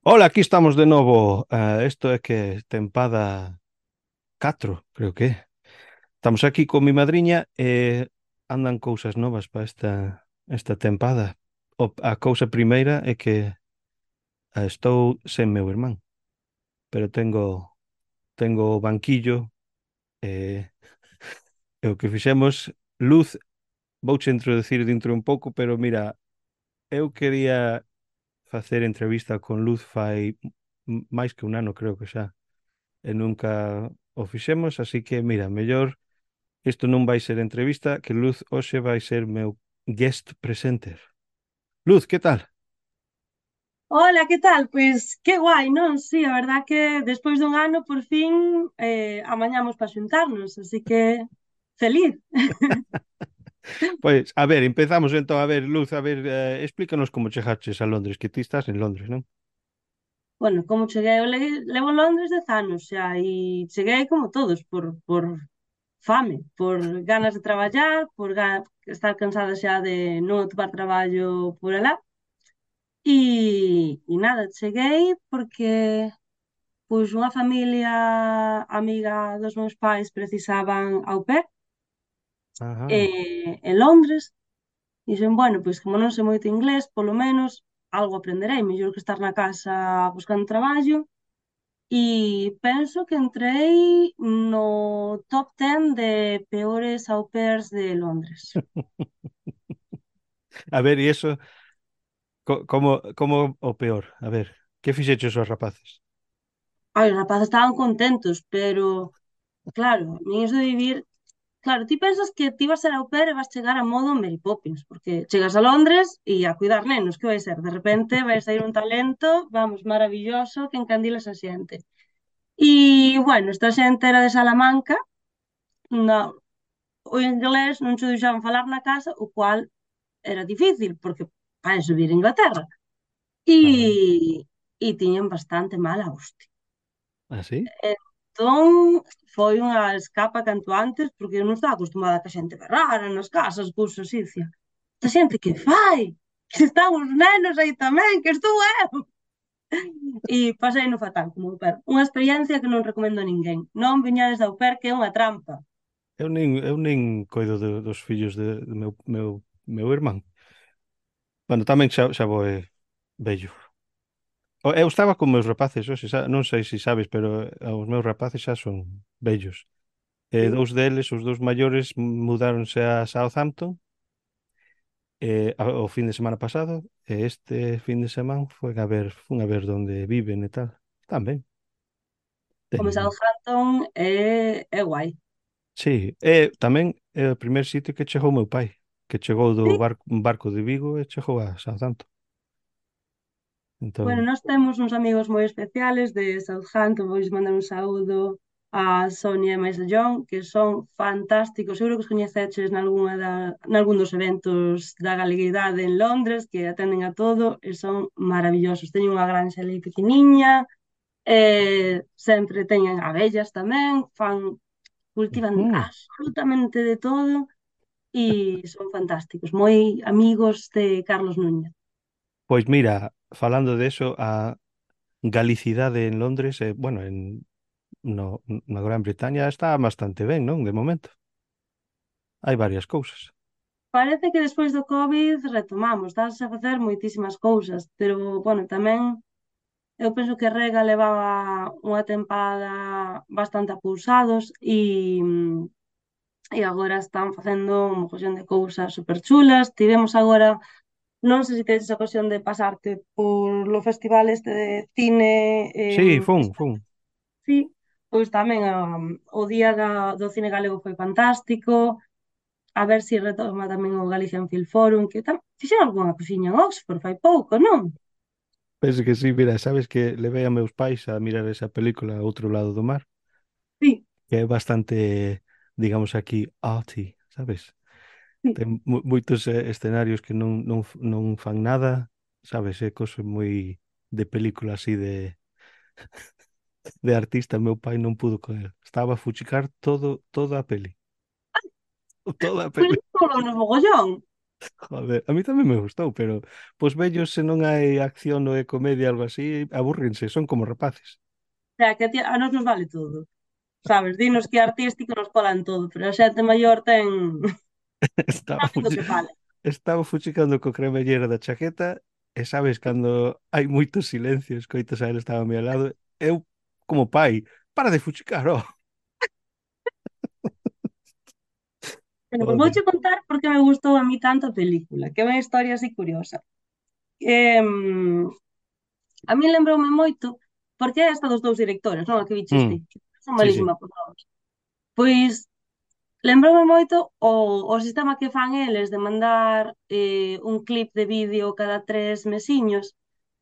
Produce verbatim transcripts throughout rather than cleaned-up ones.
Hola, aquí estamos de novo. Ah, isto é que tempada catro, creo que é. Estamos aquí con mi madriña e andan cousas novas para esta esta tempada. O, a cousa primeira é que ah, estou sen meu irmán, pero tengo tengo o banquillo e, e o que fixemos, Luz, vouche introducir dentro un pouco, pero mira, eu quería facer entrevista con Luz fai m- máis que un ano, creo que xa. E nunca o fixemos, así que, mira, mellor isto non vai ser entrevista, que Luz hoxe vai ser meu guest presenter. Luz, que tal? Hola, ¿qué tal? Pues qué guay, ¿no? Sí, a verdad que despois dun ano por fin eh, amañamos para xuntarnos, así que feliz. Pois, a ver, empezamos entón, a ver, Luz, a ver, eh, explícanos como chegaches a Londres, que ti estás en Londres, non? Bueno, como cheguei, eu le- levo en Londres dez anos xa e cheguei como todos, por, por fame, por ganas de traballar, por ga- estar cansada xa de non atopar traballo por alá. E, e nada, cheguei porque pois unha familia amiga dos meus pais precisaban au pair Ajá. eh, en Londres. Dixen, bueno, pois como non sei moito inglés, polo menos algo aprenderei, mellor que estar na casa buscando traballo. E penso que entrei no top ten de peores au pairs de Londres. A ver, e eso, co- como, como o peor? A ver, que fixeches os rapaces? Ai, os rapaces estaban contentos, pero claro, nin iso de vivir. Claro, ti pensas que ti vas a ser au pair e vas chegar a modo Mary Poppins, porque chegas a Londres e a cuidar nenos, que vai ser? De repente vai sair un talento, vamos, maravilloso, que encandila esa xente. E, bueno, esta xente era de Salamanca, no, o inglés non se deixaban falar na casa, o cual era difícil, porque para subir a Inglaterra. E, Ah, e tiñan bastante mala hostia. ah, sí? Entón, foi unha escapa canto antes, porque eu non estaba acostumada a que a xente berrara nas casas, cousas así, dicía, esta xente que fai? Que están os nenos aí tamén, que estou eu. E pasei no fatal como au pair. Unha experiencia que non recomendo a ninguén. Non viñades de au pair, que é unha trampa. Eu nin, eu nin coido de- dos fillos de, de meu, meu, meu irmán. Bueno, tamén xa, xa vou eh, vello. O- Eu estaba con meus rapaces hoxe, xa, non sei se sabes, pero eh, os meus rapaces xa son vellos. E Sí. dous deles, os dous maiores, mudáronse a Southampton eh, a- o fin de semana pasado, e este fin de semana foi a ver, fun a ver onde viven e tal. Están ben. Como Ten... Southampton é, é guai. Sí, e tamén é o primer sitio que chegou meu pai, que chegou do Sí. barco, un barco de Vigo e chegou a Southampton. Bueno, Entón, nós temos uns amigos moi especiales de Southampton, vou mandar un saúdo a Sonia e máis a John, que son fantásticos. Seguro que os coñeceches nalgúna da, nalgún dos eventos da galeguidade en Londres, que atenden a todo e son maravillosos. Teñen unha granxa ali pequeniña, eh, sempre teñen abellas tamén, fan, cultivan mm, absolutamente de todo e son fantásticos, moi amigos de Carlos Núñez. pois mira, falando de eso, a galicidade en Londres, eh, bueno, en no, na Gran Bretaña está bastante ben, non? De momento. Hai varias cousas. Parece que despois do COVID retomamos, dáse a facer moitísimas cousas, pero, bueno, tamén eu penso que Rega levaba unha tempada bastante apousados e, e agora están facendo un mogollón de cousas super chulas. Tivemos agora, non sei se tedes a ocasión de pasarte por lo festival este de cine, eh, Sí, fun, fun. sí, pois tamén um, o día da, do cine galego foi fantástico. A ver se retoma tamén o Galician Film Forum, que tam fixeron algunha cosiña en Oxford fai pouco, non? Penso que sí, mira, sabes que levei a meus pais a mirar esa película a outro lado do mar, Sí, que é bastante, digamos aquí, arty, sabes? sí. Ten mu moitos eh, escenarios que non, non, f- non fan nada, sabes? É cosa moi de película así de, de artista, meu pai non pudo con el. Estaba a fuchicar todo, toda a peli. Toda a Pois peli. non no mogollón. Joder, a mí tamén me gustou, pero pois vellos se non hai acción ou é comedia algo así, abúrrense, son como rapaces. O sea, que a, ti, a nos nos vale todo. Sabes, dinos que é artístico nos colan todo, pero a xente maior ten Estaba sabe do fuchi- que fala. estaba fuchicando co cremallera da chaqueta e sabes, cando hai moitos silencios, coitas a él estaba a mi ao lado, eu, como pai, para de fuchicar, oh. Bueno, pues Joder. vouche contar por que me gustou a mí tanto a película, que é unha historia así curiosa. Eh, a mí lembroume moito, porque é esta dos dous directores, non? A que biches ti. Mm, Son sí, sí. malísima por novos. Pois lembroume moito o, o sistema que fan eles de mandar eh, un clip de vídeo cada tres mesiños.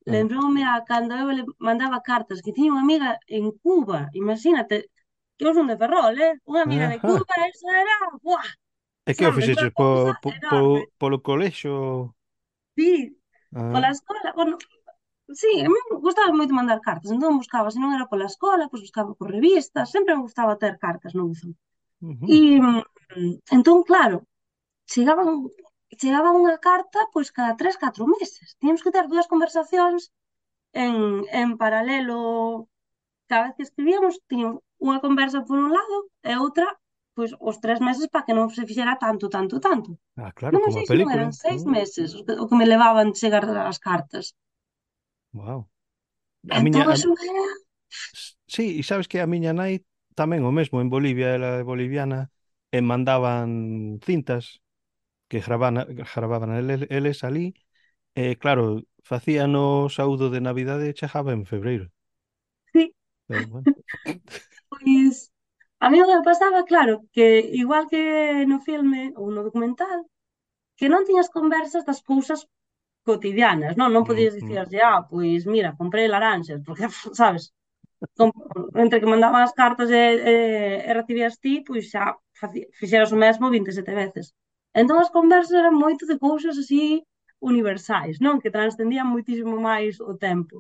Ah, Lembroume a cando eu le mandaba cartas, que tiña unha amiga en Cuba, imagínate, que eu son de Ferrol, eh? Unha amiga de ajá. Cuba, eso era, buah, E que o sabes, unha fixeches po, cousa po, po, enorme. polo colexo? Sí, Ah, pola escola, bueno, sí, a mí me gustaba moito mandar cartas, entón buscaba, se non era pola escola, pois buscaba por revistas, sempre me gustaba ter cartas no buzón. ujú. E mm, entón, claro, chegaban chegaba unha carta pois cada tres, catro meses. Tiñamos que ter dúas conversacións en, en paralelo. Cada vez que escribíamos, tiñamos unha conversa por un lado e outra pois os tres meses para que non se fixera tanto, tanto, tanto. Ah, claro, Non me como sei a se non eran película. seis Mm, meses o que, o que me levaban chegar as cartas. wow. A Entón, miña, a, eso era... s- sí, e sabes que a miña nai tamén o mesmo en Bolivia, ela é boliviana, e mandaban cintas que gravaban, gravaban eles, eles ali, e claro, facían o saúdo de Navidade e chegaba en febreiro. Sí, Pero bueno. pois a mí o que me pasaba, claro, que igual que no filme ou no documental, que non tiñas conversas das cousas cotidianas, non? Non Mm, podías mm, dicirlle, ah, pois mira, comprei laranxas, porque, sabes, com- entre que mandaban as cartas e, e, e recibías ti, pois xa faci- fixeras o mesmo vinte e sete veces. Entón as conversas eran moito de cousas así universais, non? Que transcendían moitísimo máis o tempo.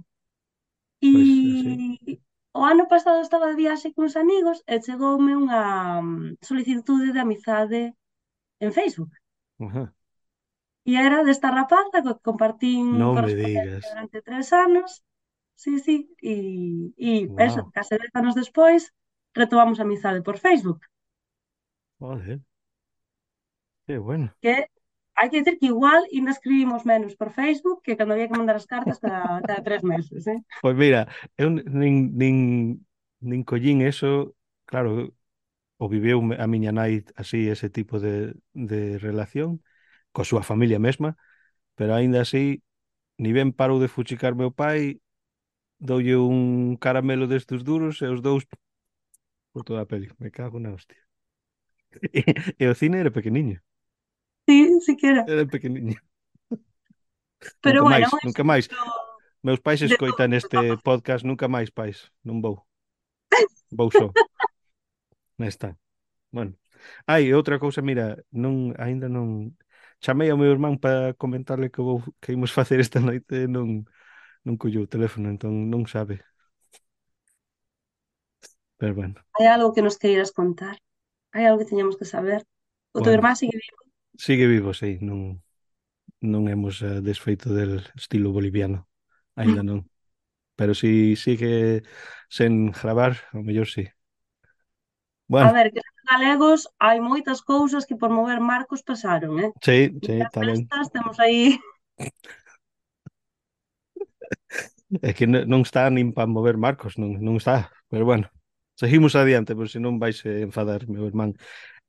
pois así. E o ano pasado estaba de viaxe cuns amigos e chegoume unha mm, solicitude de amizade en Facebook. Ajá. E era desta rapaza co que compartín Non me correspondencia digas. durante tres anos. Sí, sí. E, e eso, Wow. case dez anos despois, retomamos a amizade por Facebook. Joder, qué bueno. Que hai que dicir que igual ainda escribimos menos por Facebook que cando había que mandar as cartas cada, cada tres meses, eh? Pois mira, eu nin, nin, nin collín eso, claro, o viveu me- a miña nai así, ese tipo de, de relación, coa súa familia mesma, pero aínda así, ni ben parou de fuchicar meu pai, doulle un caramelo destes duros e os dous por toda a peli. Me cago na hostia. E, e o cine era pequeniño, Sí, sí que era. era pequeniño. Pero Nunca bueno, máis, un nunca máis. exemplo Meus pais de todo escoitan o que este está pasando. podcast, nunca máis, pais. Non vou. Vou só. Está. Bueno. Ai, e outra cousa, mira, non, aínda non chamei ao meu irmán para comentarle que vou que imos facer esta noite e non non colleu o teléfono, entón non sabe. Pero bueno. Hai algo que nos queiras contar? Hai algo que teñamos que saber? O teu Bueno, irmán sigue vivo? sigue vivo, sí, non non hemos eh, desfeito del estilo boliviano. Aínda non. Pero si sigue sen gravar, ao mellor sí. A Bueno, ver, que os galegos hai moitas cousas que por mover marcos pasaron, eh? sí, sí, Nas tamén. festas temos aí... É que n- non está nin para mover marcos, non, non está. Pero bueno, seguimos adiante, por se non vais a enfadar, meu irmán.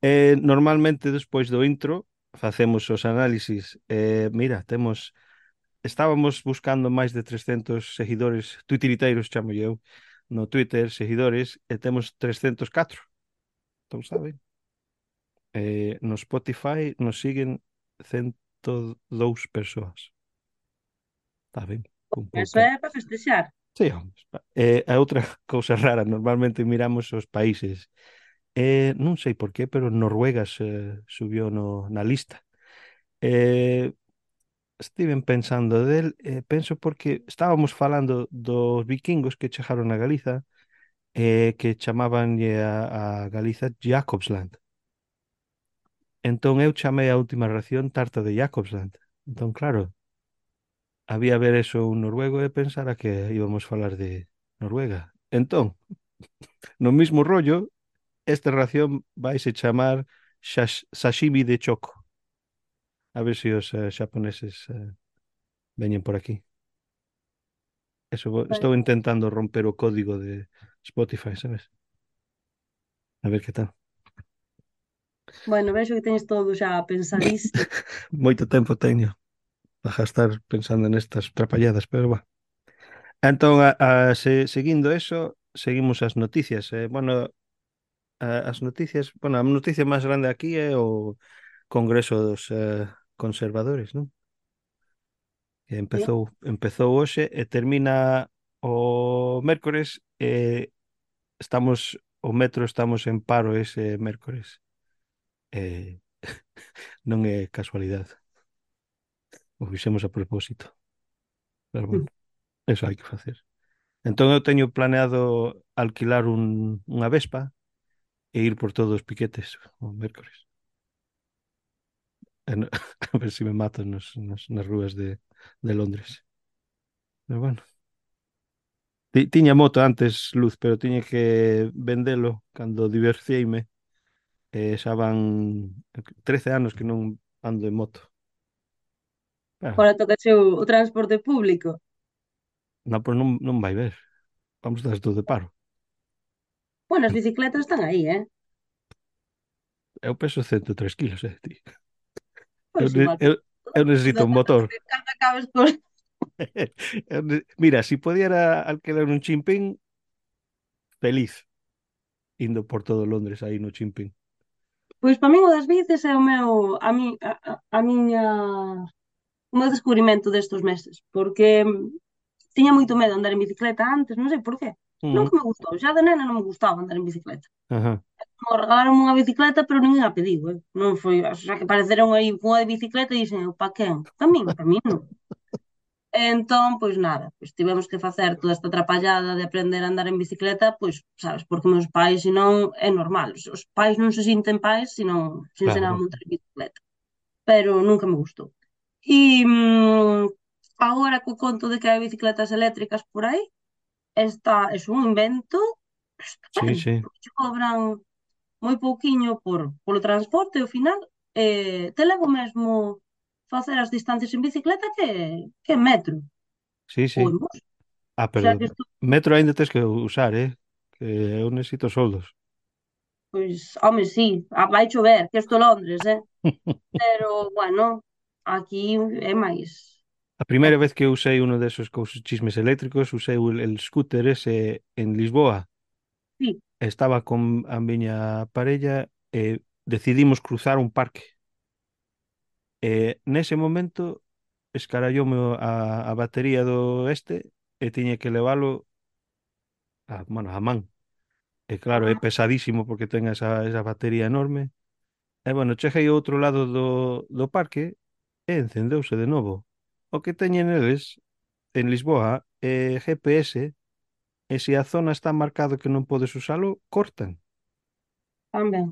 Eh, normalmente, despois do intro, facemos os análisis. Eh, mira, temos... Estábamos buscando máis de trescentos seguidores, tuitiriteiros, chamo eu, no Twitter, seguidores, e temos trescentos e catro. Entón, saben? Eh, no Spotify nos siguen ciento dous persoas. Está ben? Con Eso pouca... é para festexar. Sí, home. Eh, a outra cousa rara, normalmente miramos os países. Eh, non sei por qué, pero Noruega se subiu no, na lista. Eh, estiven pensando del, eh, penso porque estábamos falando dos vikingos que chegaron a Galiza, eh, que chamaban a, a Galiza Jacobsland. Entón eu chamei a última ración tarta de Jacobsland. Entón, claro, había ver eso un noruego e pensara que íbamos falar de Noruega. Entón, no mismo rollo, esta ración vaise chamar shash- sashimi de choco. A ver se os eh, xaponeses eh, veñen por aquí. Eso, vo- Pois, estou intentando romper o código de Spotify, sabes? A ver que tal. bueno, vexo que teñes todo xa pensadísimo. Moito tempo teño para gastar pensando nestas trapalladas, pero va. Entón, a, a, se, seguindo eso, seguimos as noticias. Eh, bueno, a, as noticias, bueno, a noticia máis grande aquí é o Congreso dos eh, Conservadores, non? Que Sí. empezou, empezou hoxe e termina o mércores e estamos, o metro estamos en paro ese mércores. Eh, non é casualidade, o fixemos a propósito, pero bueno, eso hai que facer. Entón eu teño planeado alquilar un, unha Vespa e ir por todos os piquetes o mércores. E no- a ver se me matan nos, nos, nas rúas de, de Londres. Pero bueno, ti- tiña moto antes, Luz, pero tiña que vendelo cando divorciei-me. E xa van trece anos que non ando en moto. Ah, Agora toca o, o transporte público. non, pois non, non vai ver. Vamos dar todo de paro. Bueno, as bicicletas están aí, eh? Eu peso ciento e tres kilos, eh, ti. Eu, Pois ne- igual, eu, pois, eu necesito un depende motor. de que canta acabes por... Eu ne- Mira, si pudiera alquilar un chimpín, feliz, indo por todo Londres aí no chimpín. Pois para min o das bicis é o meu, a, mi, a, a, a miña, o meu descubrimento destes meses, porque mm, tiña moito medo de andar en bicicleta antes, non sei por qué. Mm, Nunca me gustou, xa de nena non me gustaba andar en bicicleta. ajá, Me regalaron unha bicicleta, pero ninguén a pediu, eh. Non foi, o sea, que apareceron aí cunha de bicicleta e dixen, eu, pa quen? Pa min, pa min non. Entón, pois nada, pois tivemos que facer toda esta atrapallada de aprender a andar en bicicleta, pois, sabes, porque meus pais, se non, é normal, os os pais non se sinten pais se non se ensinan a claro. montar en bicicleta, pero nunca me gustou. E mm, agora co conto de que hai bicicletas eléctricas por aí, está, é un invento Sí, estupendo, sí, porque che cobran moi pouquiño por, polo transporte, ao final, eh, te levo mesmo facer as distancias en bicicleta que, que en metro sí, ou sí. en bus. Ah, O sea pero que isto, metro ainda tens que usar, eh? Que eu necesito soldos. pois, home, sí, ah, vai chover, que isto é Londres, eh? Pero, bueno, aquí é máis. A É, primeira vez que usei uno de esos cousos chismes eléctricos, usei el, el scooter ese en Lisboa. sí, Estaba con a miña parella e decidimos cruzar un parque. E nese momento escaralloume o- a, a batería do este e tiña que levalo a, bueno, a man. E claro, é ah, pesadísimo porque ten esa, esa batería enorme. E bueno, cheguei ao outro lado do, do parque e encendeuse de novo. O que teñen eles en Lisboa é G P S e se a zona está marcado que non podes usalo, cortan. tamén.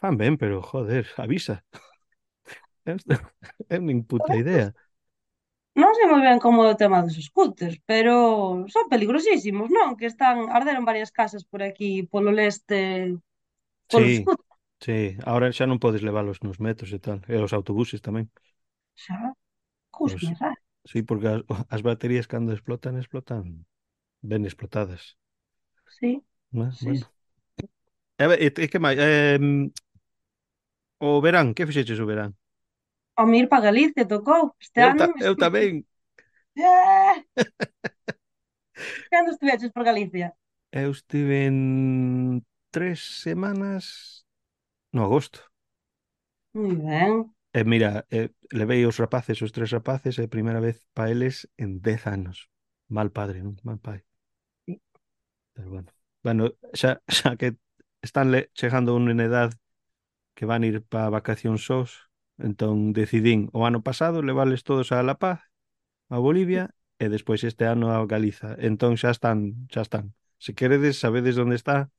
Fan ben, pero joder, avisa. Eu eu nin puta idea. Non sei moi ben como é o tema dos scooters, pero son peligrosísimos, non? Que están, arderon varias casas por aquí, polo leste, polos Sí, scooters. sí, ahora xa non podes leválos nos metros e tal, e os autobuses tamén. Xa, cousa Os, máis rara. sí, porque as, as baterías cando explotan, explotan ben explotadas. Sí, Bueno, sí, sí. bueno. E, e, e que máis? Eh, o verán, que fixeches o verán? A mí ir para Galicia tocou. Este Eu, ano ta, eu estive... tamén. Eh, cando estiveches por Galicia? Eu estive en tres semanas no agosto. Moi ben. E mira, eh, levei os rapaces, os tres rapaces, é a primeira vez pa eles en dez anos. Mal padre, non? Mal pai. Sí. Pero bueno. Bueno, xa, xa que están le, chegando a unha edad que van ir pa vacacións sós, entón decidín o ano pasado levales todos a La Paz, a Bolivia, e despois este ano a Galiza. Entón xa están, xa están. Se queredes, sabedes onde está,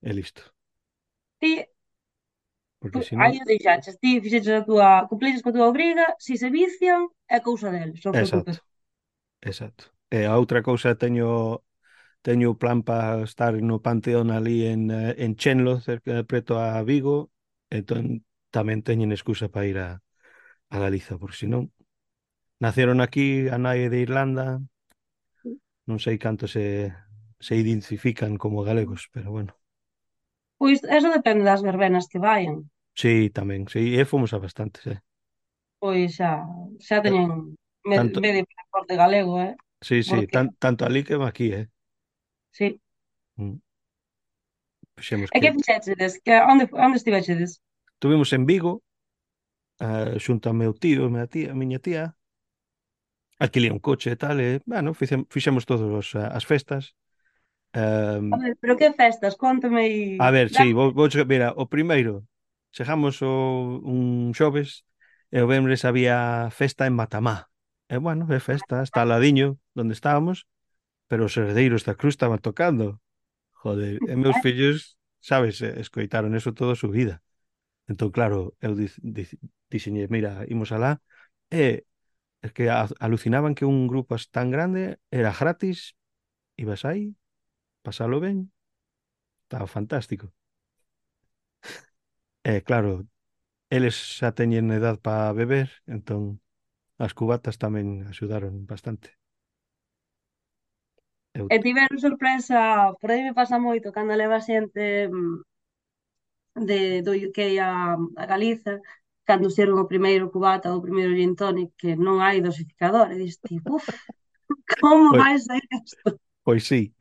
e listo. Ti, porque Pois, senón, aí o deixaches, ti fixeches a túa, cumpliches coa túa obriga, si se vician, é cousa deles, non exacto, preocupes. exacto. E a outra cousa teño teño o plan para estar no Panteón ali en, eh, en Chenlo, cerca preto a Vigo, entón tamén teñen excusa para ir a, a Galiza, porque senón naceron aquí a nai de Irlanda, non sei canto se se identifican como galegos, pero bueno. Pois eso depende das verbenas que vayan. Sí, tamén, sí, e fomos a bastantes, eh. Pois xa, xa Eh, teñen me- Tanto, medio pasaporte galego, eh? sí, sí, Porque, tan, tanto ali como aquí, eh. sí. Mm, Fixemos E que que fixeches? Que, onde, onde estivechedes? tuvimos en Vigo, eh, xunto ao meu tío, a miña tía, a miña tía, alquilei un coche e tal, e, bueno, fixemos, fixemos todas os, eh, as festas. A Um, ver, pero que festas? Conta-me aí. a ver, sí, Dame. vou, vou, mira, o primeiro, chegamos o, un xoves, e o venres había festa en Matamá. E, bueno, é festa, está al ladiño, donde estábamos, pero os herdeiros da cruz estaban tocando. Joder, e meus fillos, sabes, eh, escoitaron eso toda a súa vida. Entón, claro, eu dic, dic, dixenlle, mira, imos alá, e es que a- alucinaban que un grupo as tan grande era gratis, ibas aí, pasalo ben, estaba fantástico. E claro, eles xa teñen edad para beber, entón as cubatas tamén axudaron bastante. Eu, E tiveron sorpresa, por aí me pasa moito, cando leva xente mm, de, do U K a, a Galiza, cando sirven o primeiro cubata ou o primeiro gin tonic, que non hai dosificador, e diste, uff, como pois, vai ser isto? pois sí,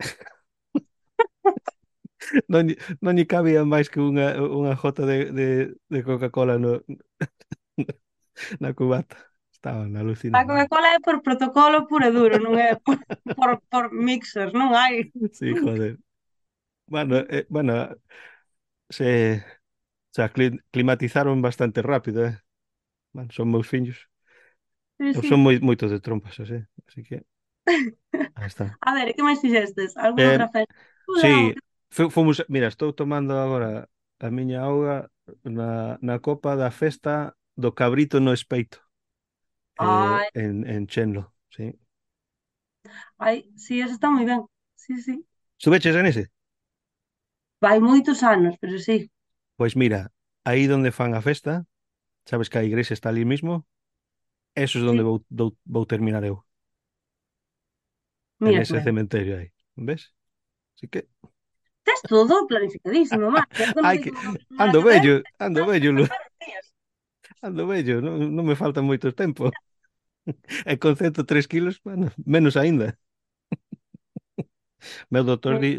non, lle- non lle cabía máis que unha, unha jota de, de, de Coca-Cola no, na cubata. Estaban A alucinando. Coca-Cola é por protocolo puro e duro, non é por, por, por mixers, non hai. Sí, joder. Bueno, eh, bueno, se, se acli- climatizaron bastante rápido, eh. Bueno, son meus fillos. Sí, Eu sí. son moi, moito de trompas, así, así que aí está. A ver, e que máis fixestes? Alguna Eh, outra festa? Estuda, algo sí, que... fu- fomos, mira, estou tomando agora a miña auga na, na copa da festa do cabrito no espeito, eh, Ai, en, en Chenlo, sí. ai, sí, eso está moi ben. Sí, sí. Subeches en ese? Vai moitos anos, pero sí. Pois mira, aí donde fan a festa, sabes que a igrexa está ali mismo, eso es donde Sí. vou, dou- vou terminar eu, en Mira que ese ben. cementerio aí, ves? Así que, Tes todo planificadísimo, man. Eu cando hai digo que, que vou a primeira ando que ven, bello, ando estás a bello, Lu, contar os días. ando bello, non, non me falta moito tempo. E con ciento tres kilos, bueno, menos aínda. Meu doutor Eh, di,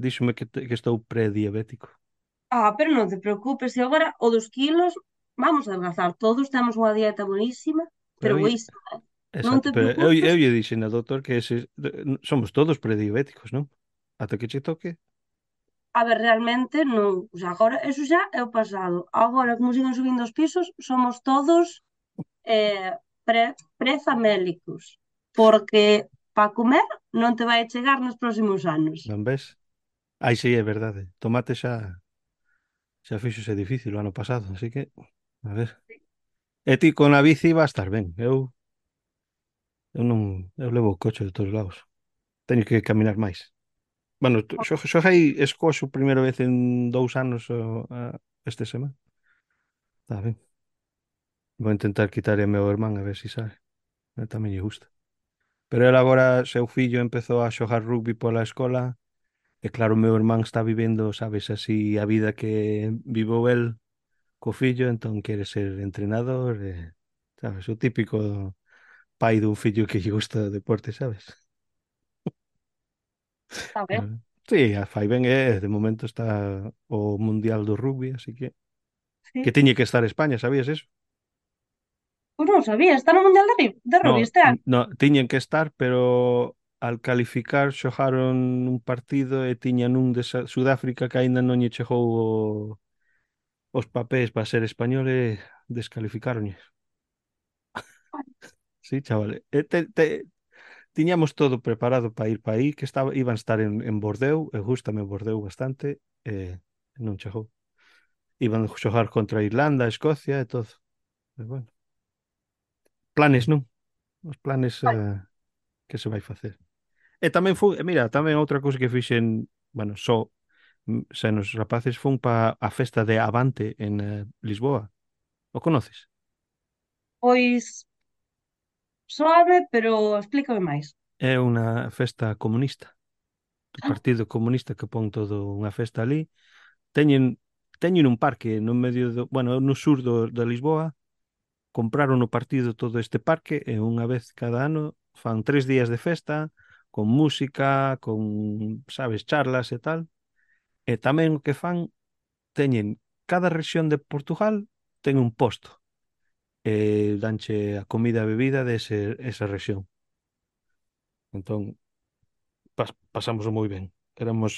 díxome que, te- que estou prediabético. Ah, pero non te preocupes, e agora o dos kilos, vamos a adelgazar todos, temos unha dieta buenísima, Pero pero eu, boísima. Non exacto, te pero eu, preocupes. eu lle dixen ao doutor que ese, somos todos prediabéticos, non? Ata que che toque. A ver, realmente non, o sea, agora, eso xa é o pasado. Agora, como siguen subindo os pisos, somos todos eh, pre, prefamélicos, porque para comer non te vai chegar nos próximos anos. Non ves? Ai, sí, é verdade. Tomate xa, xa fixose difícil o ano pasado, así que, a ver. E ti con a bici va a estar ben. Eu, eu non, eu levo o coche de todos lados. Teño que caminar máis. Bueno, tu- xo, xoguei escoxo primeira vez en dous anos o, a, este semana. Está ben. Vou intentar quitar a meu irmán a ver se sabe. A tamén lle gusta. Pero ele agora, seu fillo, empezou a xogar rugby pola escola e claro, o meu irmán está vivendo, sabes, así a vida que vivou el co fillo, entón quere ser entrenador, e, sabes, o típico pai dun fillo que lle gusta o deporte, sabes? Está ben, Ah, sí, a fai ben, e de momento está o Mundial do Rugby, así que que sí. tiñe que estar España, sabías eso? Pois non sabía, está no Mundial de, Ri- de Rugby No, este ano. n- no, tiñen que estar, pero al calificar xogaron un partido e tiñan un de Sa- Sudáfrica que aínda non lle chegou o, os papéis para ser español e descalificáronlle. Sí, chaval. E te, te, tiñamos todo preparado para ir para aí, que estaba, iban a estar en, en Bordeu, e gústame Bordeu bastante, e non chegou. Iban xogar contra Irlanda, Escocia e todo. Pero bueno, planes non, os planes Ai, eh, que se vai facer. E tamén foi, e mira, tamén outra cousa que fixen, bueno, só mm, sen os rapaces fun pa a festa de Avante en eh, Lisboa. O conoces? pois soame, pero explícame máis. É unha festa comunista, do Partido Comunista que pon todo unha festa ali. Teñen teñen un parque no medio do, bueno, no sur do, de Lisboa. Compraron no partido todo este parque e unha vez cada ano fan tres días de festa con música, con, sabes, charlas e tal. E tamén o que fan, teñen cada rexión de Portugal ten un posto e danche a comida e a bebida dese esa rexión. Entón, pas, pasamos moi ben. Éramos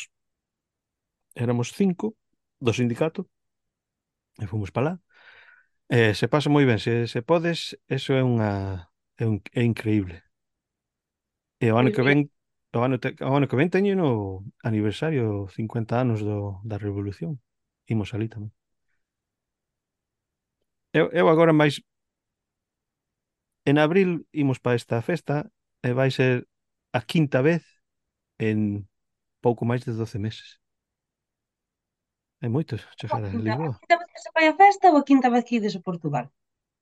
éramos cinco do sindicato e fomos para lá. E se pasa moi ben, se, se podes, eso é unha é, un, é increíble. E o ano Pois que mira, ven, o ano, te, o ano que ven teño no aniversario cincuenta anos do, da Revolución. Imos ali tamén. Eu, eu agora máis en abril imos para esta festa e vai ser a quinta vez en pouco máis de doce meses. É moito a chegar a quinta, a Lisboa. quinta vez que se fai a festa ou a quinta vez que ides a Portugal?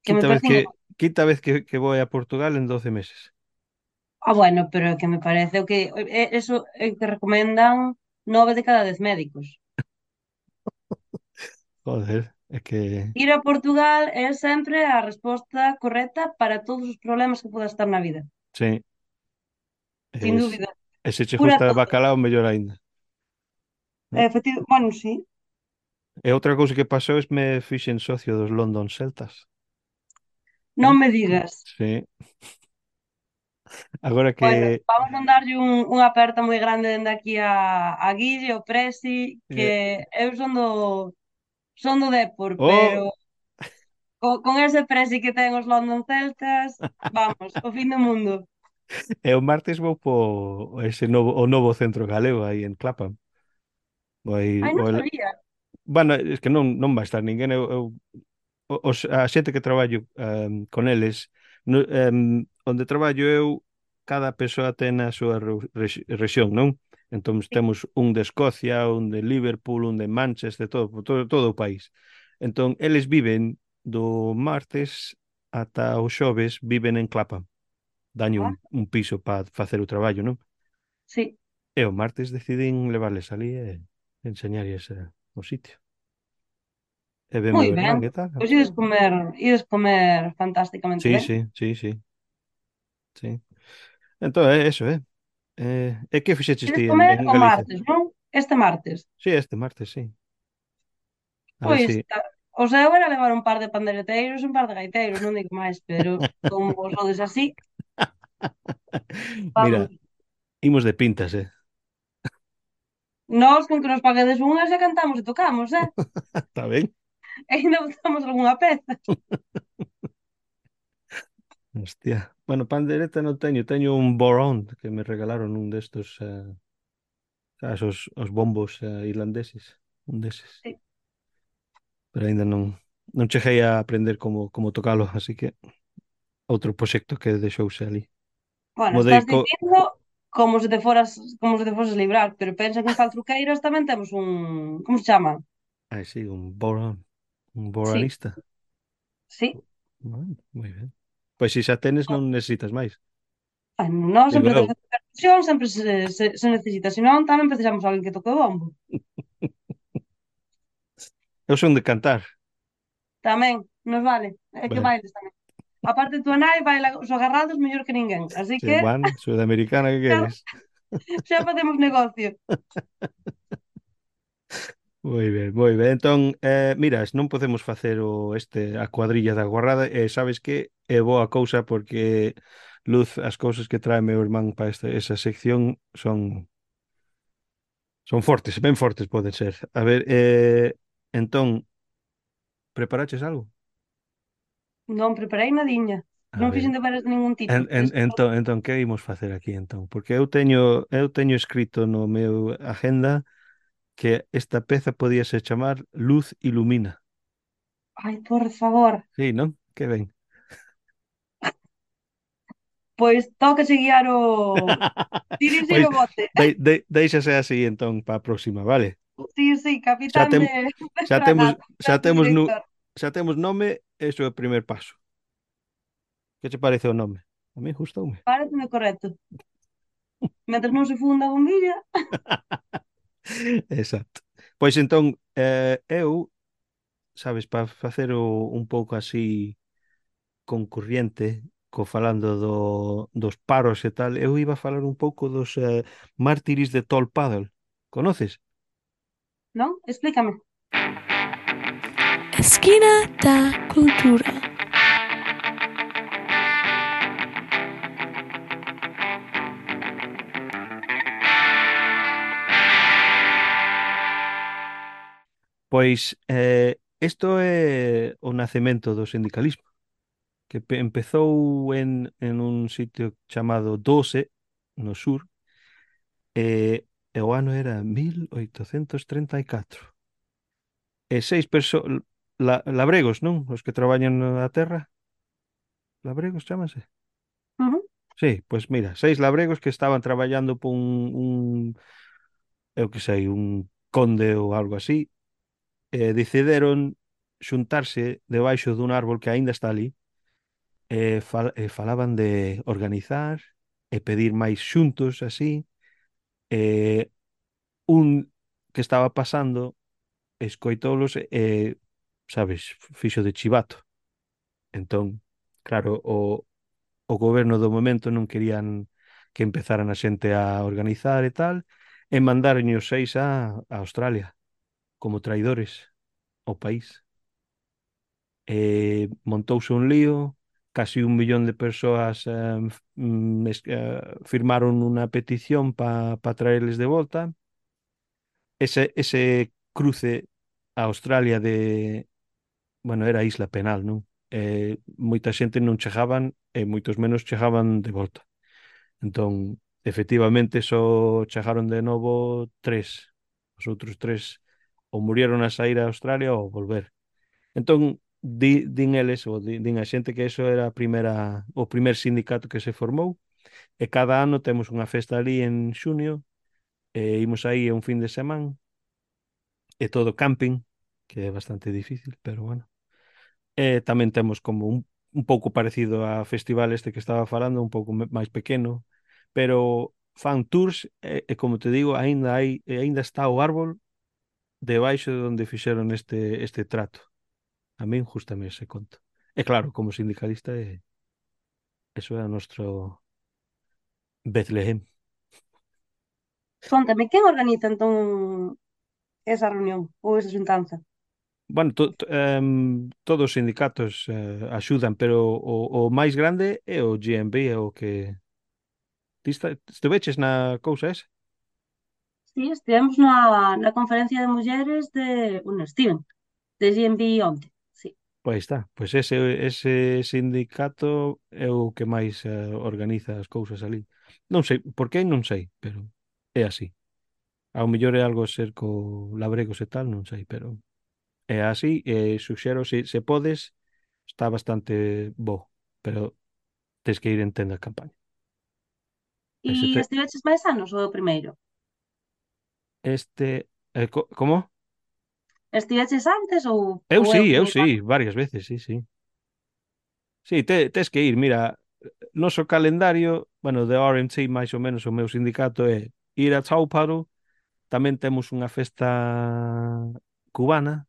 Que me Quinta vez parecen que igual. quinta vez que, que vou a Portugal en doce meses. Ah, bueno, pero que me parece o que é- eso é o que recomendan nove de cada dez médicos. Joder, é que Ir a Portugal é sempre a resposta correcta para todos os problemas que podas estar na vida. sí, Sin es, dúbida. e se che Cura gusta todo. bacalao, mellor aínda. ¿No? Efectivo, bueno, sí. E outra cousa que pasou es me fixen socio dos London Celtas. Non ¿Eh? me digas. Sí, agora Bueno, que vamos a darlle un, unha aperta moi grande dende aquí a, a Guille, o Presi, que eh, eu son do, son do Depor, pero oh, co, con ese Presi que ten os London Celtas, vamos, o fin do mundo. e o martes vou po ese novo o novo centro galego aí en Clapham. Vou ir, Ai, non vou, sabía. bueno, es que non non vai estar ninguén, eu, eu o- os, a xente que traballo em, con eles, no, em, onde traballo eu, cada persoa ten a súa ru- rex- rexión, non? Entón temos un de Escocia, un de Liverpool, un de Manchester, todo, todo, todo o país. Entón, eles viven do martes ata o xoves, viven en Clapham. Daño un, Ah, un piso para facer o traballo, non? sí, E o martes decidín levarles ali e enseñarles eh, o sitio. E ven moi meu ben. irmán e tal. Pois Así que... ides comer, ides comer fantásticamente Sí, ben. sí, sí, sí, sí. Entón, é eso, é. Eh, e que fixeches Ides ti en, comer en o Galicia? martes, non? Este martes. Sí, este martes, sí. A ver Pois, si... ta- o seu era levar un par de pandereteiros e un par de gaiteiros, non digo máis, pero como vos sodes así, Mira, vamos. imos de pintas, eh. Nós, con que nos paguedes unhas, xa cantamos e tocamos, eh? Está ben? E ainda botamos algunha peza. Hostia. Bueno, pandereta non teño, teño un borón que me regalaron un destos, eh, sabes, os, os bombos eh, irlandeses, un deses. Sí. Pero aínda non non cheguei a aprender como como tocalo, así que outro proxecto que deixouse ali. Bueno, Como de estás co... dicindo como se te foras, como se te foses librar, pero pensa que en Faltruqueiras tamén temos un, como se chama? Ai, sí, un borón, un Sí, boronista. sí. Bueno, moi ben. Pois se xa tenes non necesitas máis. Ai, non Digo sempre eu. te facer percusión, sempre se, se, se necesita, senón tamén precisamos alguén que toque o bombo. Eu son de cantar. Tamén, nos vale, é que Bueno, bailes tamén. Aparte, tú nai baila os agarrados mellor que ninguén, así che, que bueno, sudamericana que xa, queres. xa facemos negocio. Moi ben, moi ben. Entón, eh, miras, non podemos facer o este a cuadrilla da guarrada e sabes que é boa cousa porque Luz, as cousas que trae meu irmán para esta, esa sección son son fortes, ben fortes poden ser. A ver, eh, entón, preparaches algo? Non preparei nadiña. A Non ver, fixen deberes de ningún tipo. en, en, Despois, entón, entón, que imos facer aquí entón? Porque eu teño eu teño escrito no meu agenda que esta peza podíase chamar Luz Ilumina. Ai, por favor. Sí, non? Que ben. Pois toca guiar o... Dirixir Pois o bote. de, de, deixase así entón para a próxima, vale? Sí, sí, Xa capitán tem, de, de xa temos fragata, xa capitán temos nu, director. xa temos nome, eso é o primer paso. Que che parece o nome? A mí gustoume. Pareceme correcto. Mentre non se funda a bombilla. Exacto. Pois entón, eh, eu, sabes, para facer o, un pouco así concurriente, co falando do, dos paros e tal, eu iba a falar un pouco dos eh, mártires de Tol Paddle. Conoces? Non? Explícame. Esquina da Cultura. Pois eh, isto é o nacemento do sindicalismo, que pe- empezou en, en un sitio chamado Doce, no sur, e, e o ano era mil oitocentos treinta e catro. E seis persoas, la, labregos, non? Os que traballan na terra, labregos chámanse. Ujú. Sí, pois mira, seis labregos que estaban traballando por un, un eu que sei, un conde ou algo así, e decidiron xuntarse debaixo dun árbol que aínda está ali, e, fal, e falaban de organizar e pedir máis xuntos así, e un que estaba pasando escoitoulos e, sabes, fixo de chivato. Entón, claro, o, o goberno do momento non querían que empezaran a xente a organizar e tal, e mandaron os seis a, a Australia como traidores ao país. E montouse un lío, casi un millón de persoas eh, f- mm, es- eh, firmaron unha petición para pa traerles de volta. Ese, ese cruce a Australia de, bueno, era Isla Penal, non? Eh, moita xente non chegaban e moitos menos chegaban de volta. Entón, efectivamente, só chegaron de novo tres. Os outros tres ou murieron a sair a Australia ou volver. Entón, di, din eles, ou di- din a xente que eso era a primeira, o primer sindicato que se formou, e cada ano temos unha festa ali en xunio, e imos aí un fin de semana, e todo camping, que é bastante difícil, pero bueno. E tamén temos como un, un pouco parecido a festival este que estaba falando, un pouco me- máis pequeno, pero fan tours e, e como te digo, aínda hai, e aínda está o árbol debaixo de onde fixeron este, este trato. A min justame ese conto. E claro, como sindicalista, é, eso é o noso Betlehem. Contame, quen organiza entón esa reunión ou esa xuntanza? Bueno, to, to, em, todos os sindicatos eh, axudan, pero o, o máis grande é o G M B, é o que... Ti esta- estiveches na cousa esa? Sí, estivemos na, na conferencia de mulleres de... Un Steven, de G M B onte. Sí. Pois está, pois ese, ese sindicato é o que máis eh, organiza as cousas ali. Non sei, por que non sei, pero é así. Ao mellor é algo a ser co labregos e tal, non sei, pero é así, e suxero, se, se podes, está bastante bo, pero tens que ir en tenda de campaña. E Ese te, estiveches máis anos ou é o primeiro? este, eh, co, como? Estiveches antes ou, Eu ou é o sí, eu primeiro ano? sí, varias veces, sí, sí. Sí, te, tes que ir, mira, noso calendario, bueno, de R M C máis ou menos o meu sindicato é ir a Tauparo, tamén temos unha festa cubana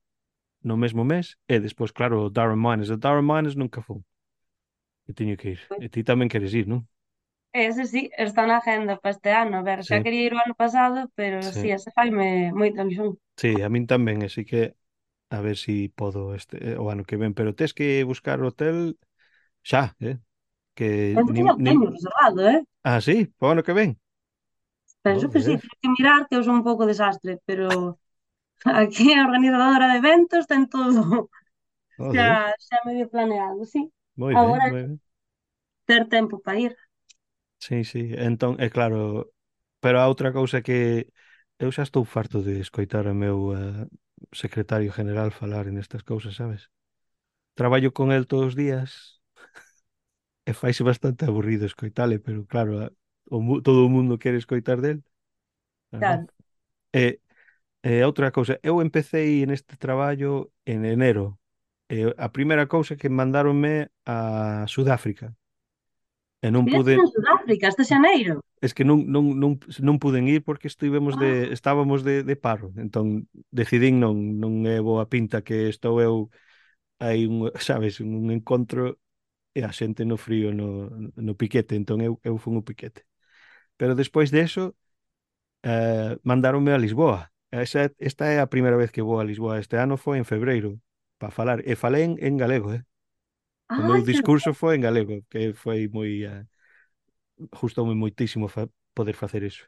no mesmo mes, e despois, claro, o Darren Mines. O Darren Mines nunca fun, e teño que ir. E ti tamén queres ir, non? Ese sí, está na agenda para este ano. A ver, xa Sí, quería ir o ano pasado, pero sí, sí, ese faime moita ilusión. sí, a min tamén, así que a ver si podo este eh, o ano que ven, pero tes que buscar hotel xa, eh? Que Penso que nin, xa o nin... teño reservado, eh? Ah, sí, para o ano que ven. Penso que sí, Joder, teño que mirar, que eu son un pouco desastre, pero aquí a organizadora de eventos ten todo xa, joder, xa medio planeado, sí. moi ben, Agora é moi ben. ter tempo para ir. Sí, sí, entón, é claro, pero a outra cousa que eu xa estou farto de escoitar o meu eh, secretario general falar nestas cousas, sabes? Traballo con el todos os días e faise bastante aburrido escoitale, pero claro, a- o, mu- todo o mundo quere escoitar del, verdad? Claro. E, e outra cousa, eu empecé neste traballo en enero. E a primeira cousa que mandáronme a Sudáfrica e non Estiveste pude, en Sudáfrica este xaneiro. es que non, non, non, non puden ir porque estivemos de, Ah, estábamos de, de paro. Entón decidín non, non é boa pinta que estou eu hai un, sabes, un encontro e a xente no frío no, no piquete, entón eu, eu fun o piquete. Pero despois de eso, eh, mandáronme a Lisboa. Esa, esta é a primeira vez que vou a Lisboa. Este ano foi en febreiro para falar. E falei en, en galego, eh? O meu ai, que discurso foi en galego, que foi moi... Uh, gustoume moitísimo fa poder facer iso.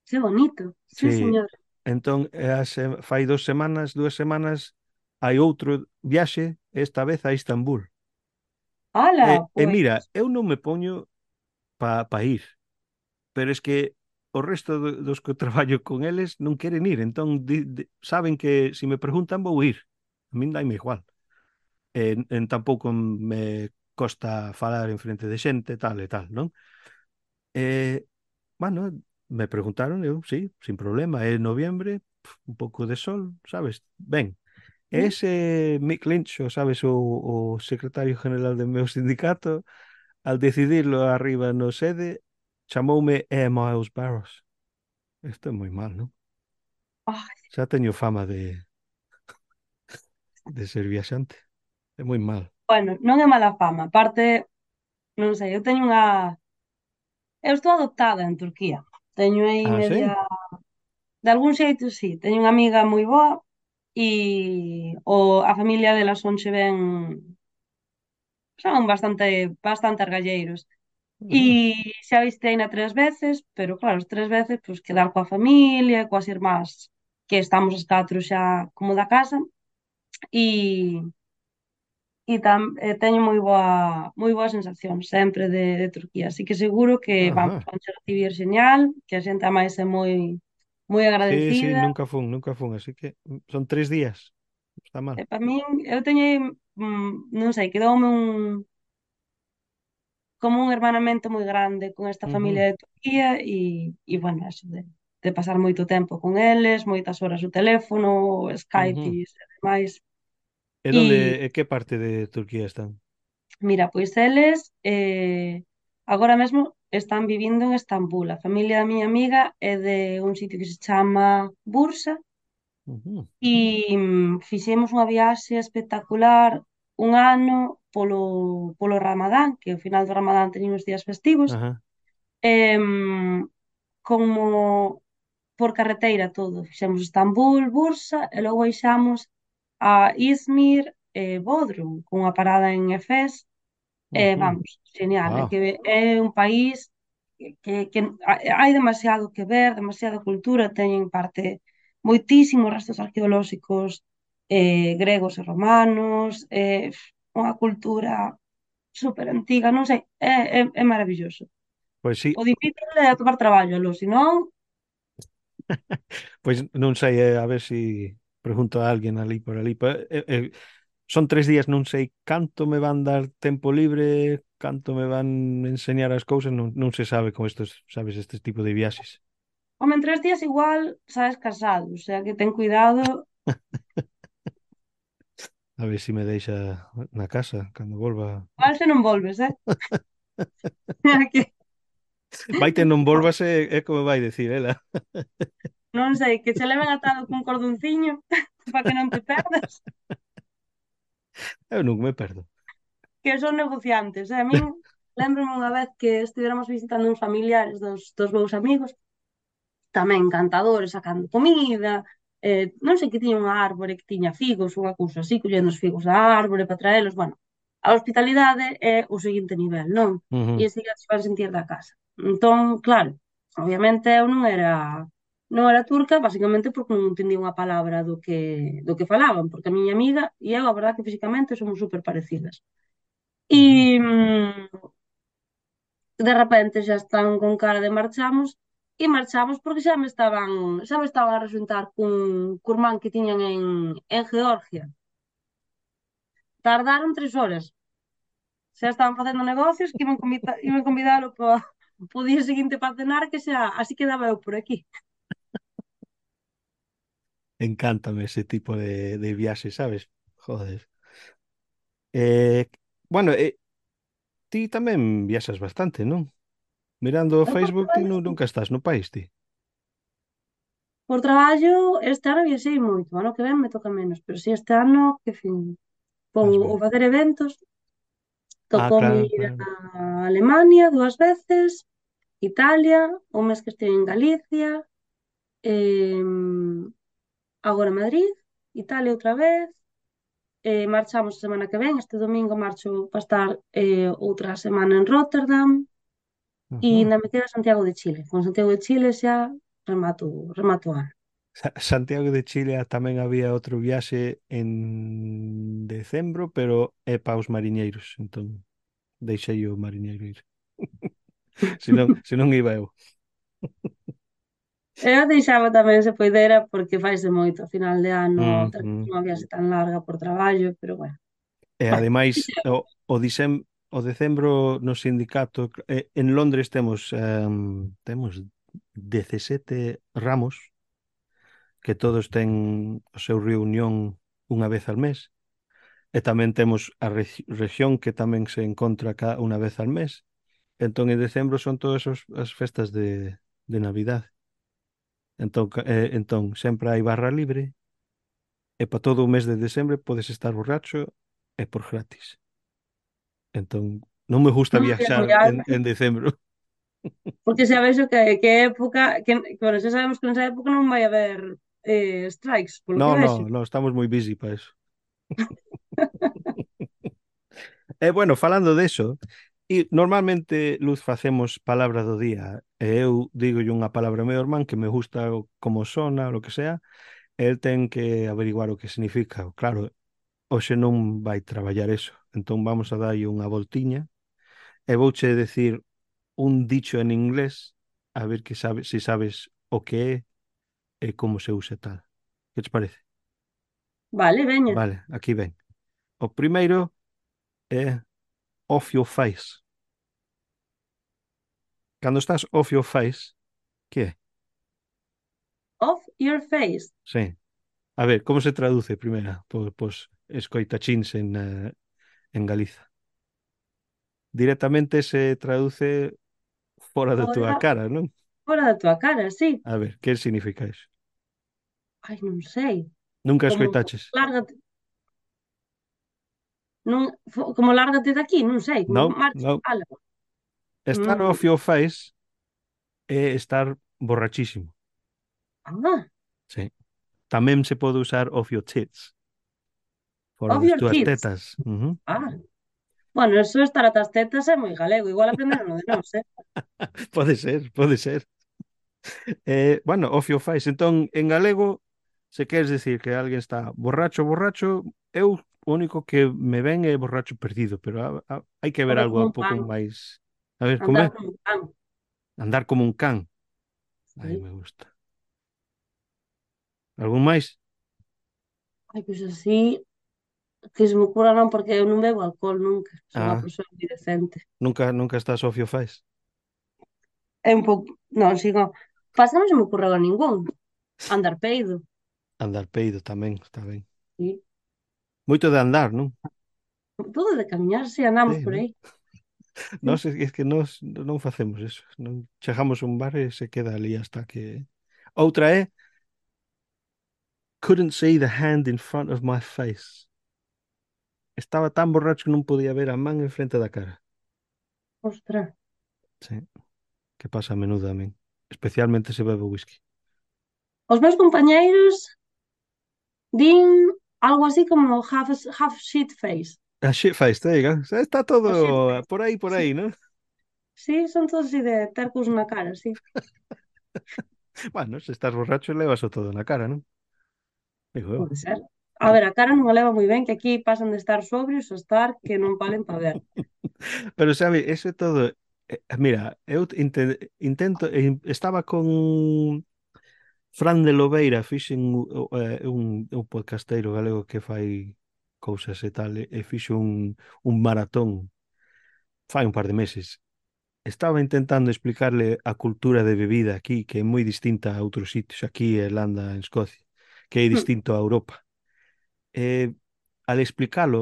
Que bonito. Sí, Sí, señor. entón, eh, a se- fai dos semanas, dúas semanas, hai outro viaxe, esta vez a Istambul. E, Hala, e pois. mira, eu non me poño para pa ir, pero es que o resto do- dos que traballo con eles non queren ir, entón di, di- saben que se me preguntan vou ir. A min daime igual. En, en tampouco me costa falar en frente de xente, tal e tal, non? E, bueno, me preguntaron, eu, sí, sin problema, é noviembre, pf, un pouco de sol, sabes? Ben, Sí. ese Mick Lynch, o sabes, o, o secretario general do meu sindicato, al decidirlo arriba no sede, chamoume E. Miles Barros. Isto é moi mal, non? Ai, Xa teño fama de, de ser viaxante. É moi mal. bueno, non é mala fama. Aparte, non sei, eu teño unha... Eu estou adoptada en Turquía. Teño aí Ah, media... sí? De algún xeito, sí. Teño unha amiga moi boa e o, a familia dela son che ben... Son bastante, bastante argalleiros. E Ujú, xa visiteina tres veces, pero claro, as tres veces, pois, quedar coa familia, coas irmás, que estamos as catro xa como da casa, e, e tam, eh, teño moi boa, moi boa sensación sempre de, de Turquía, así que seguro que vamos, ajá. van a recibir señal, que a xente a máis é moi moi Sí, sí, agradecida. nunca fun, nunca fun, así que mm, son tres días. Está E mal. para min, eu teño, mm, non sei, quedoume un como un hermanamento moi grande con esta Ujú, familia de Turquía e, e bueno, eso de, de pasar moito tempo con eles, moitas horas o teléfono, Skype ujú. e demais. E donde, E e que parte de Turquía están? mira, pois eles eh, agora mesmo están vivindo en Estambul. A familia da miña amiga é de un sitio que se chama Bursa Ujú, e mm, fixemos unha viaxe espectacular un ano polo, polo Ramadán, que ao final do Ramadán teñen os días festivos. ajá. Em, como por carreteira todo. Fixemos Estambul, Bursa e logo baixamos a Izmir e Bodrum, con unha parada en Efes. E Ujú. vamos, genial. É Wow. que é un país que, que hai demasiado que ver, demasiada cultura, teñen parte moitísimos restos arqueolóxicos eh, gregos e romanos, eh, unha cultura super antiga, non sei, é, é, é maravilloso. Pois sí, O difícil é atobar traballo, lo, senón, pois non sei, eh, a ver se pregunto a alguén ali por ali. Pa- eh, eh, son tres días, non sei canto me van dar tempo libre, canto me van enseñar as cousas, non, non se sabe con estos, sabes, este tipo de viaxes. home, en tres días igual sabes casado, o sea que ten cuidado. A ver se me deixa na casa cando volva. Igual se non volves, eh? Que, Vaite non volvas é, é como vai decir ela. non sei, que che leven atado cun cordonciño para que non te perdas, Eu non me perdo. que son negociantes, eh? A min, lembro-me unha vez que estivéramos visitando uns familiares dos, dos meus amigos, tamén encantadores, sacando comida, eh, non sei que tiña unha árbore que tiña figos, unha cousa así, collendo os figos da árbore para traelos, bueno, a hospitalidade é o seguinte nivel, non? E Ujú, enseguida se van sentir da casa. Entón, claro, obviamente eu non era non era turca, basicamente porque non entendía unha palabra do que do que falaban, porque a miña amiga e eu, a verdade que físicamente somos super parecidas. ujú. E mm, de repente xa están con cara de marchamos e marchamos porque xa me estaban, xa me estaban a resultar cun, cun irmán que tiñan en, en Georgia. Tardaron tres horas. Xa estaban facendo negocios que iban, convida, iban convidalo para o día seguinte para cenar, que xa así quedaba eu por aquí. Encántame ese tipo de, de viajes, ¿sabes? Joder. Eh, bueno, eh, ti tamén viaxas bastante, non? Mirando o Eu por Facebook, ti traballo, nu- sí. nunca estás no país, ti. Por traballo, este ano viaxei moito. O ano que ven me toca menos, pero si este ano, que fin, por Vas o ben. facer eventos, Ah, tocoume claro, ir claro. a Alemania dúas veces, Italia, un mes que estive en Galicia, em, agora Madrid, Italia outra vez, eh, marchamos a semana que ven, este domingo marcho para estar eh, outra semana en Rotterdam e Ujú. ainda me queda Santiago de Chile. Con Santiago de Chile xa remato, remato o ano. Sa- Santiago de Chile ah, tamén había outro viaxe en decembro, pero é para os mariñeiros, entón deixei o mariñeiro ir. Se non, se non iba eu. Eu deixaba tamén se poidera porque faise moito a final de ano Mm, ter mm. unha viaxe tan larga por traballo, pero bueno. E Bueno, ademais o, o, disem, o decembro no sindicato eh, en Londres temos em, temos dezasete ramos que todos ten o seu reunión unha vez al mes e tamén temos a regi- región que tamén se encontra cá unha vez al mes. Entón en decembro son todas os- as festas de, de Navidad. Entón, ca- eh, entón sempre hai barra libre e para todo o mes de decembro podes estar borracho e por gratis. Entón, non me gusta non é viaxar moi en, alto, en decembro. porque xa vexo que, que época, que, que, bueno, xa sabemos que nesa época non vai haber eh, strikes, polo que No, vexo. no, no, estamos moi busy para eso. E bueno, falando de eso, e normalmente, Luz, facemos palabra do día e eu digo unha palabra ao meu irmán que me gusta o- como sona, o lo que sea, e el ten que averiguar o que significa. Claro, hoxe non vai traballar eso, entón vamos a darlle unha voltiña e vouche decir un dicho en inglés a ver que sabes, si sabes o que é e como se usa e tal. Que te parece? Vale, veña. Vale, aquí ven. O primeiro é off your face. Cando estás off your face, que é? Off your face. Sí. A ver, como se traduce primeira? Pois, pois escoitachins en, eh, en Galiza. Directamente se traduce fora da túa Fora, cara, non? fora da tua cara, sí. A ver, que significa iso? Ai, non sei. Nunca Como escoitaches? lárgate, non, fo- como lárgate de aquí, non sei, como Non, marcha. non. Ala. Estar Mm, off your face é estar borrachísimo. ah, Sí. Tamén se pode usar off your tits, fora off das your túas tits. tetas. Ujú. Ah, bueno, eso estar atas tetas é moi galego. Igual aprenderon de nós, eh? Pode ser, pode ser. Eh, bueno, off your face. Entón, en galego, se queres decir que alguén está borracho, borracho, eu o único que me ven é borracho perdido, pero a- a- hai que ver Anda algo como un un pouco pan, máis. A ver, como andar é? como un pan. Andar como un can. Aí Sí. me gusta. Algún máis? Ai, pois así, que se me ocurra non, porque eu non bebo alcohol nunca. Son unha Ah, persoa moi decente. nunca, nunca estás off your face. É un pouco, non, sigo. Pasa, non se me ocurre a ningún. Andar peido. Andar peido tamén, está ben. Sí. Moito de andar, non? Todo de camiñar, si andamos Sí, por non? aí. Sí. Nós é é que nós non facemos eso. Non chegamos a un bar e se queda ali hasta que... Outra é couldn't see the hand in front of my face. Estaba tan borracho que non podía ver a man en frente da cara. Ostras. Sí, que pasa a menudo a min. Especialmente se bebe whisky. Os meus compañeiros din algo así como half, half shit face. A shit face, there you go. Está O shit todo face. por aí, por Sí, aí, ¿no? sí, son todos así de tercos na cara, sí. Bueno, se estás borracho, levas o todo na cara, non? Digo eu. Pode ser. A ver, a cara non a leva moi ben, que aquí pasan de estar sobrios a estar que non valen para ver. Pero sabe, eso é todo. Eh, Mira, eu inte- intento, eh, estaba con Fran de Lobeira, fixen u- eh, un, un podcasteiro galego que fai cousas e tal, e, e fixo un, un maratón fai un par de meses. Estaba intentando explicarle a cultura de bebida aquí, que é moi distinta a outros sitios, aquí en Irlanda, en Escocia, que é Hmm. distinto a Europa. E al explicalo,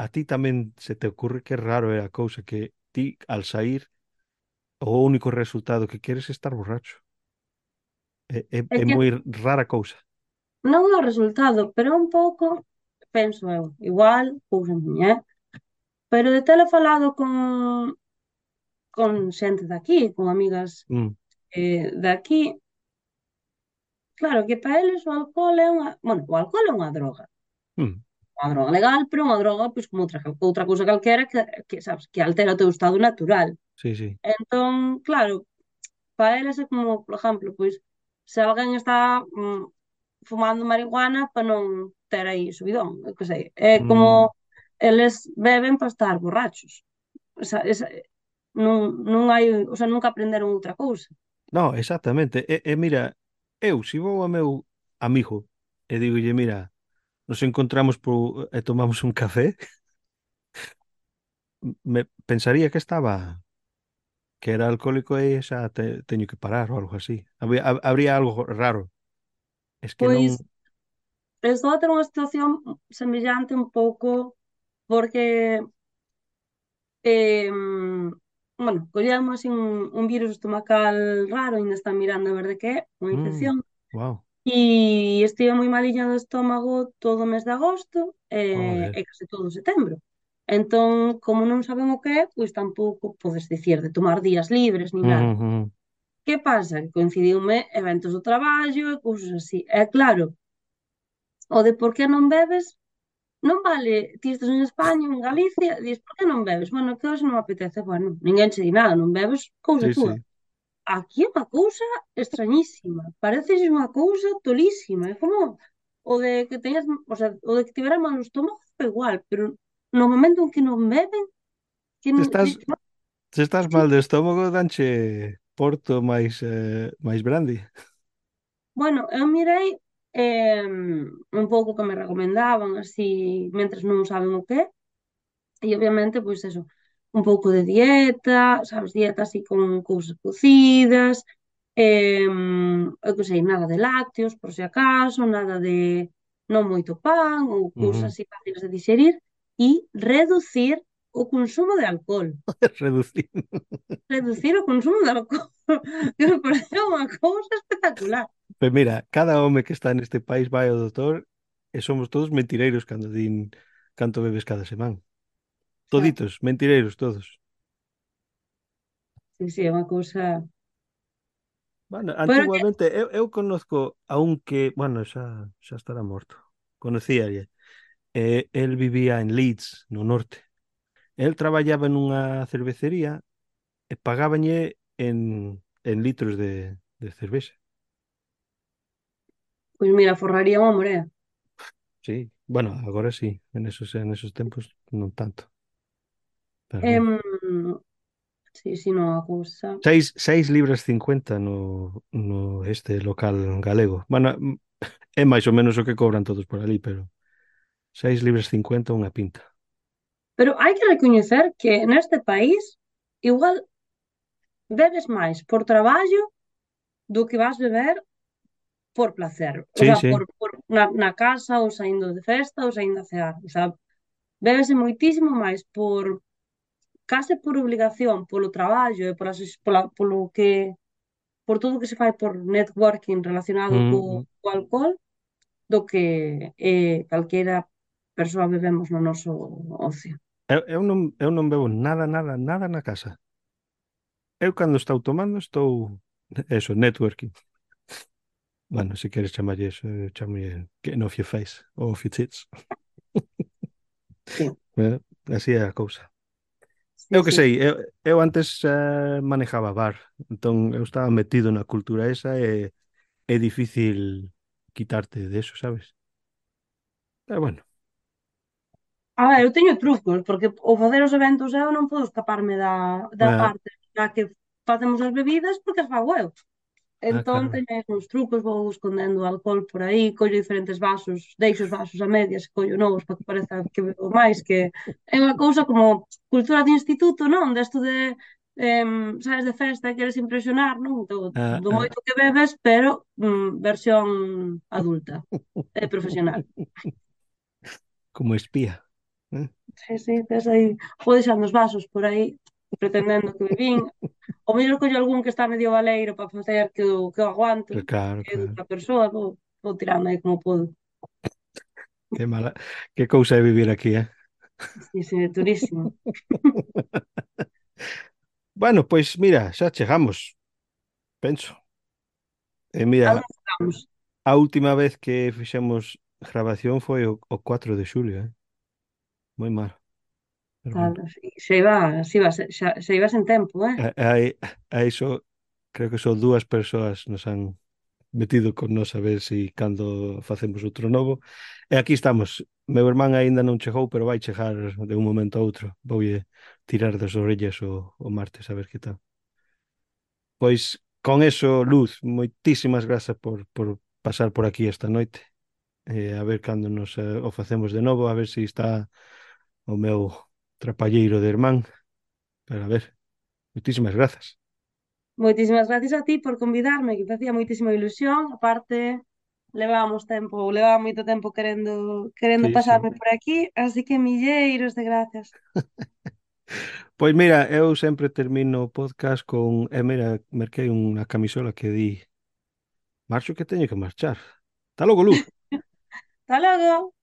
a ti tamén se te ocurre que raro é a cousa que ti, al sair, o único resultado que queres é estar borracho. É, é, É é que moi rara cousa. non é o resultado, pero é un pouco, penso eu, igual, cousa miña, eh? Pero de tela falado con, con xente daqui, con amigas Mm, eh, daqui, claro que para eles o alcohol é unha, bueno, o alcohol é unha droga, mm, unha droga legal, pero unha droga, pois, como outra, outra cousa calquera que, que, sabes, que altera o teu estado natural. sí, sí. Entón, claro, para eles é como, por exemplo, pois, se alguén está mm, fumando marihuana para non ter aí subidón, eu que sei. É como Mm, eles beben para estar borrachos. Esa, esa, non, non hai, o sea, nunca aprenderon outra cousa. no, exactamente. E, e mira, eu, se vou a meu amigo e digolle, mira, nos encontramos por, e tomamos un café, me pensaría que estaba, que era alcohólico e xa te, teño que parar ou algo así. Habría, hab- habría algo raro. Es que non... Pois estou a ter unha situación semellante un pouco porque eh, bueno, collemos así un, un virus estomacal raro, ainda están mirando a ver de que é, unha Mm, infección. wow, E estive moi maliña do estómago todo o mes de agosto e, joder. e case todo o setembro. Entón, como non saben o que é, pois tampouco podes dicir de tomar días libres ni nada. Mhm, Que pasa? Que coincidiume eventos do traballo e cousas así. É claro, o de por que non bebes non vale, ti estás en España, en Galicia, e dis, por que non bebes? Bueno, que hoxe non me apetece. Bueno, ninguén che di nada, non bebes, cousa sí, túa. sí. Aquí é unha cousa extrañísima. Parece unha cousa tolísima. É como o de que teñas, o sea, o de que tivera mal o estómago é igual, pero no momento en que non beben, que Se non, estás, dis que non, se estás sí. mal de estómago, danche Porto máis eh, máis brandy. Bueno, eu mirei eh, un pouco que me recomendaban, así, mentres non saben o que é, e obviamente, pois eso, un pouco de dieta, sabes, dieta así con cousas cocidas, eh, eu que sei, nada de lácteos, por se acaso, nada de non moito pan ou cousas Ujú. así fáciles de digerir e reducir o consumo de alcohol. Reducir. Reducir o consumo de alcohol, que me pareceu unha cousa espectacular. Pues mira, cada home que está neste país vai ao doutor e somos todos mentireiros cando din canto bebes cada semana. Xa, Toditos, mentireiros todos. sí, sí, é unha cousa... Bueno, Pero que, antiguamente eu, eu conozco a un que, bueno, xa, xa estará morto. Conocíalle. Eh, el vivía en Leeds, no norte. El traballaba nunha cervecería e pagábañe en, en litros de, de cervexa. pois mira, forraría unha morea. Sí, bueno, agora sí, en esos, en esos tempos non tanto, pero bueno. Em, sí, sí, non, a cousa... Seis, seis libras cincuenta no, no este local galego. Bueno, mm, é máis ou menos o que cobran todos por ali, pero seis libras cincuenta unha pinta. Pero hai que recoñecer que neste país igual bebes máis por traballo do que vas beber por placer. O Sí, sea, por, sí. por na, na casa ou saindo de festa ou saindo a cear. O sea, bébese moitísimo máis por case por obligación, polo traballo e pola, pola, polo que por todo o que se fai por networking relacionado co, Mm, mm. co alcohol do que eh, calquera persoa bebemos no noso ocio. Eu, eu non, eu non bebo nada, nada, nada na casa. Eu cando estou tomando estou, eso, networking. Bueno, se queres chamarlle eso, eu chamalle getting off your face, or off your tits. Sí, Eh, Así é a cousa. sí, Eu que sí. sei, eu, eu antes eh, manejaba bar, entón eu estaba metido na cultura esa e é difícil quitarte de eso, sabes? Pero bueno, A ver, eu teño trucos, porque ao facer os eventos eu non podo escaparme da, da Ah, parte na que facemos as bebidas porque as fago eu. ah, Entón claro. teño aí uns trucos, vou escondendo o alcohol por aí, collo diferentes vasos, deixo os vasos a medias e collo novos para que pareza que bebo máis, que é unha cousa como cultura de instituto, non? Desto de, em, sabes, de festa e queres impresionar, non? Do, Ah, do ah. moito que bebes, pero mm, versión adulta e profesional. Como espía. ¿Eh? Sí, sí, tes aí, vou deixando os vasos por aí, pretendendo que bebín. O mellor collo algún que está medio baleiro para facer que o, que o aguanto, Claro, que é de claro. outra persoa, vou, vou tirando aí como podo. Qué mala, qué cousa é vivir aquí, eh? Sí, sí, durísimo. Bueno, pois mira, xa chegamos, penso. E A mira, onde estamos? a última vez que fixemos grabación foi o, o cuatro de xulio, eh? Moi mal, pero Tal, bueno. sí, xa iba, xa iba, xa, xa iba sen tempo, eh? A, a, a iso, creo que só dúas persoas nos han metido con nós a ver si cando facemos outro novo. E aquí estamos. Meu irmán aínda non chegou, pero vai chegar de un momento a outro. Voulle tirar das orellas o, o martes a ver que tal. Pois con eso, Luz, moitísimas grazas por, por pasar por aquí esta noite. Eh, a ver cando nos eh, o facemos de novo, a ver se si está o meu trapalleiro de irmán. Pero a ver, moitísimas grazas. Moitísimas gracias a ti por convidarme, que facía moitísima ilusión. Aparte, levábamos tempo, levaba moito tempo querendo, querendo Sí, sí. pasarme por aquí, así que milleiros de gracias. Pois mira, eu sempre termino o podcast con, e mira, merquei unha camisola que di, marcho que teño que marchar. Tá logo, Luz. Hasta logo!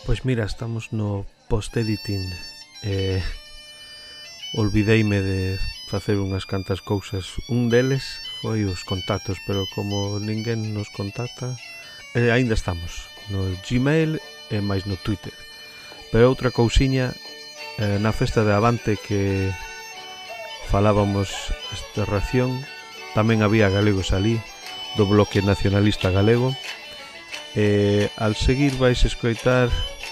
Pois mira, estamos no post-editing. Eh, olvideime de facer unhas cantas cousas. Un deles foi os contactos, pero como ninguén nos contacta, eh, aínda estamos no Gmail e máis no Twitter. Pero outra cousiña, eh, na festa de Avante que falábamos esta ración, tamén había galegos ali, do Bloque Nacionalista Galego. E al seguir vais escoitar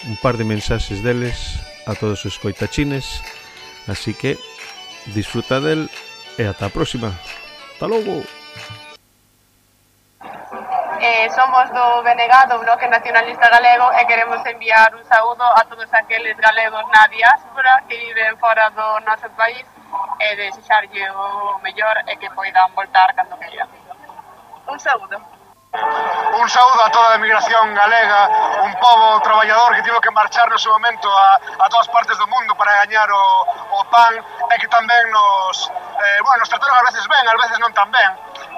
un par de mensaxes deles a todos os escoitachines, así que disfruta del e ata a próxima. Ata logo. Eh, somos do B N G, do Bloque Nacionalista Galego, e queremos enviar un saúdo a todos aqueles galegos na diáspora que viven fora do noso país e desexarlle o mellor e que poidan voltar cando queiran. Un saúdo. Un saúdo a toda a emigración galega, un pobo traballador que tivo que marchar no seu momento a, a todas partes do mundo para gañar o, o pan e que tamén nos, eh, bueno, nos trataron ás veces ben, ás veces non tan ben,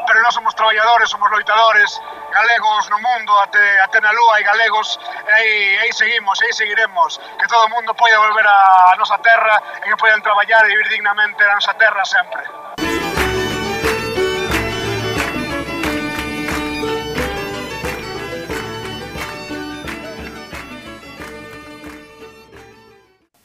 pero nós somos traballadores, somos loitadores, galegos no mundo, até, até na lúa e galegos, e aí, aí seguimos, e aí seguiremos, que todo o mundo poida volver a, a nosa terra e que poidan traballar e vivir dignamente na nosa terra sempre.